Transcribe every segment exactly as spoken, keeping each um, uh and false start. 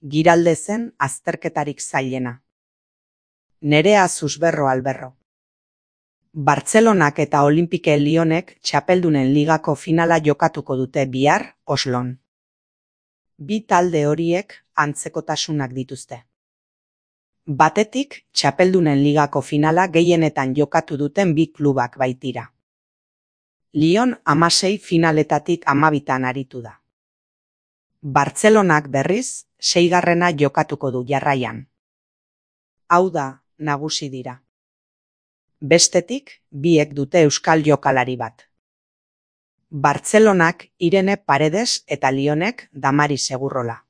Giralde zen azterketarik zailena. Nerea Susberro Alberro. Bartzelonak eta Olimpike Lyonek txapeldunen ligako finala jokatuko dute bihar Oslon. Bi talde horiek antzekotasunak dituzte. Batetik, txapeldunen ligako finala gehienetan jokatu duten bi klubak baitira. Lyon hamasei finaletatik hamabitan aritu da. Bartzelonak berriz, seigarrena jokatuko du jarraian. Hau da, nagusi dira. Bestetik, biek dute euskal jokalari bat. Bartzelonak Irene Paredes eta Lyonek Damari Segurrola.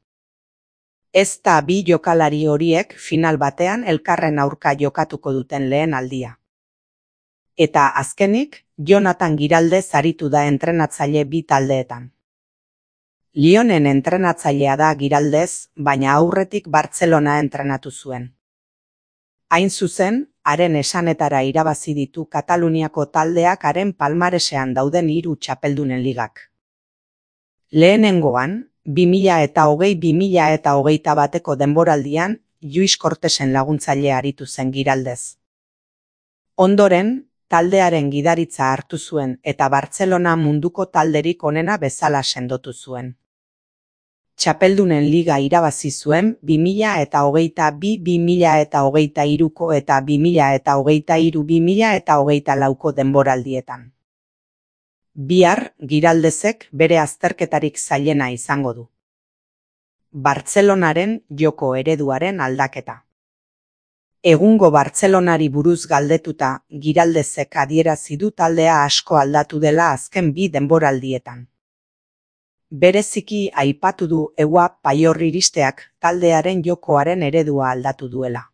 Ez da bi jokalari horiek final batean elkarren aurka jokatuko duten lehen aldia. Eta azkenik, Jonathan Giraldez aritu da entrenatzaile bi taldeetan. Lyonen entrenatzailea da Giraldez, baina aurretik Bartzelona entrenatu zuen. Hain zuzen, haren esanetara irabazi ditu Kataluniako taldeak haren palmaresean dauden hiru txapeldunen ligak. Lehenengoan, bi mila eta hogei bi mila eta hogeita bateko denboraldian, Lluís Cortesen laguntzaile aritu zen Giraldez. Ondoren, taldearen gidaritza hartu zuen eta Bartzelona munduko talderik onena bezala sendotu zuen. Txapeldunen liga irabazi zuen bi mila eta hogeita bi bi mila eta hogeita hiruko eta bi mila eta hogeita hiru bi mila eta hogeita lauko denboraldietan. Bihar, Giraldezek bere azterketarik zailena izango du. Bartzelonaren joko ereduaren aldaketa. Egungo Bartzelonari buruz galdetuta, Giraldezek adierazi du taldea asko aldatu dela azken bi denboraldietan. Bereziki aipatu du Eua Paior iristeak taldearen jokoaren eredua aldatu duela.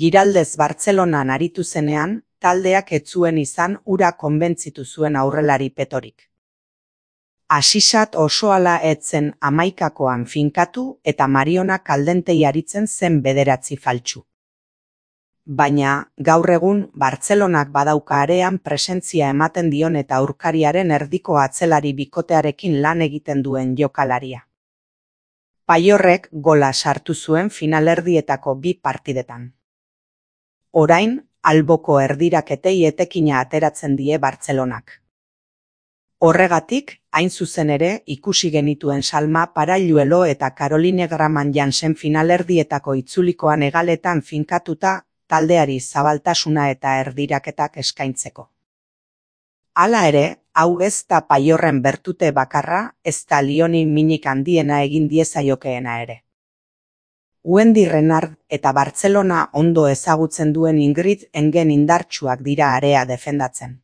Giraldez Bartzelonan aritu zenean, taldeak ez zuen izan hura konbentzitu zuen aurrelari petorik. Asisat osoala etzen hamaikakoan finkatu eta Mariona Kaldentei aritzen zen bederatzi faltsu. Baina, gaur egun, Bartzelonak badauka arean presentzia ematen dion eta aurkariaren erdiko atzelari bikotearekin lan egiten duen jokalaria. Paiorrek gola sartu zuen finalerdietako bi partidetan. Orain, alboko erdiraketei etekina ateratzen die Bartzelonak. Horregatik, hain zuzen ere, ikusi genituen Salma Paralluelo eta Caroline Graman Jansen finalerdietako itzulikoan hegaletan finkatuta, taldeari zabaltasuna eta erdiraketak eskaintzeko. Hala ere, hau ez da Paiorren bertute bakarra, ez da Lyoni minik handiena egin diezaiokeena ere. Wendy Renard eta Bartzelona ondo ezagutzen duen Ingrid Engen indartsuak dira area defendatzen.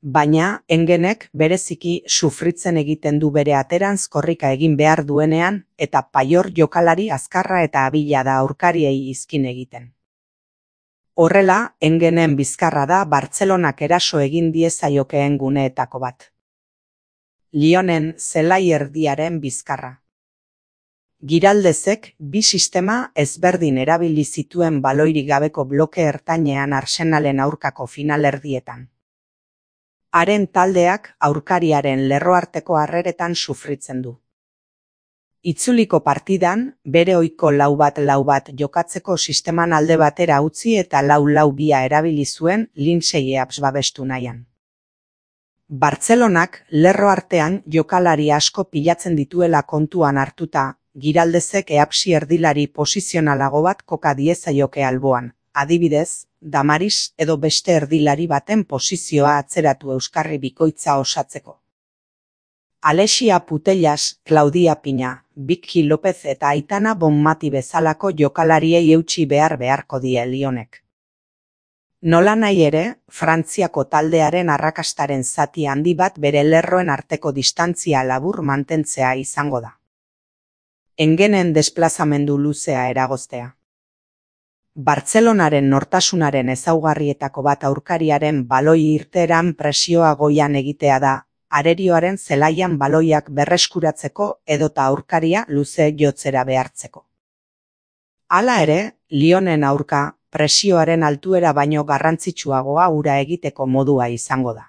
Baina, Engenek bereziki sufritzen egiten du bere aterantz korrika egin behar duenean eta Paior jokalari azkarra eta abila da aurkariei izkin egiten. Horrela, Engenen bizkarra da Bartzelonak eraso egin diezaiokeen guneetako bat. Lyonen zelai erdiaren bizkarra. Giraldezek bi sistema ezberdin erabili zituen baloirik gabeko bloke ertainean Arsenalen aurkako finalerdietan. Haren taldeak aurkariaren lerroarteko harreretan sufritzen du. Itzuliko partidan, bere ohiko lau bat lau bat jokatzeko sisteman alde batera utzi eta lau lau bia erabili zuen Lindsay Eaps babestu nahian. Bartzelonak lerro artean jokalari asko pilatzen dituela kontuan hartuta, Giraldezek Eapsi erdilari posizionalago bat koka diezaioke alboan, adibidez, Damaris edo beste erdilari baten posizioa atzeratu euskarri bikoitza osatzeko. Alexia Putellas, Claudia Pina, Vicky López eta Aitana Bonmati bezalako jokalariei eutsi behar beharko die Lyonek. Nolanahi ere, Frantziako taldearen arrakastaren zati handi bat bere lerroen arteko distantzia labur mantentzea izango da. Engenen desplazamendu luzea eragoztea. Bartzelonaren nortasunaren ezaugarrietako bat aurkariaren baloi irteeran presioa goian egitea da, arerioaren zelaian baloiak berreskuratzeko edota aurkaria luze jotzera behartzeko. Hala ere, Lyonen aurka presioaren altuera baino garrantzitsuagoa hura egiteko modua izango da.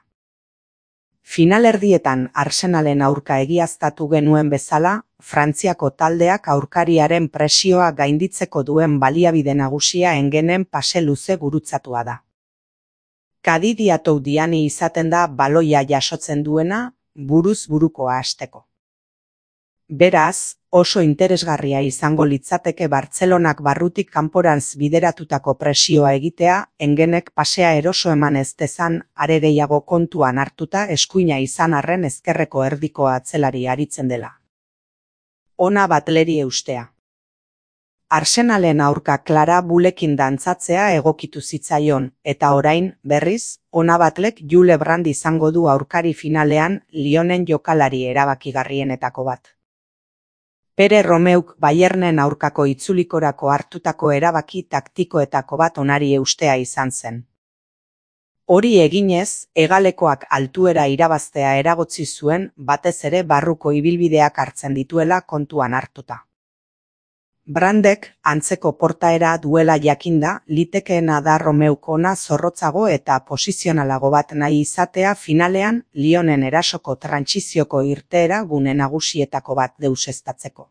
Finalerdietan Arsenalen aurka egiaztatu genuen bezala, Frantziako taldeak aurkariaren presioa gainditzeko duen baliabide nagusia Engenen pase luze gurutzatua da. Kadidiatou diani izaten da baloia jasotzen duena, buruz burukoa hasteko. Beraz, oso interesgarria izango litzateke Bartzelonak barrutik kanporantz bideratutako presioa egitea, Engenek pasea eroso eman ez dezan, are gehiago kontuan hartuta eskuina izan arren ezkerreko erdiko atzelari aritzen dela. Ona Batleri eustea. Arsenalen aurka Klara Bulekin dantzatzea egokitu zitzaion, eta orain, berriz, Ona Batlek Jule Brand izango du aurkari finalean Lyonen jokalari erabakigarrienetako bat. Pere Romeuk Bayernen aurkako itzulikorako hartutako erabaki taktikoetako bat onari eustea izan zen. Hori eginez, hegalekoak altuera irabaztea eragotzi zuen, batez ere barruko ibilbideak hartzen dituela kontuan hartuta. Brandek, antzeko portaera duela jakinda, litekeena da Romeuk ona zorrotzago eta posizionalago bat nahi izatea finalean Lyonen erasoko trantsizioko irteera gune nagusietako bat deuseztatzeko.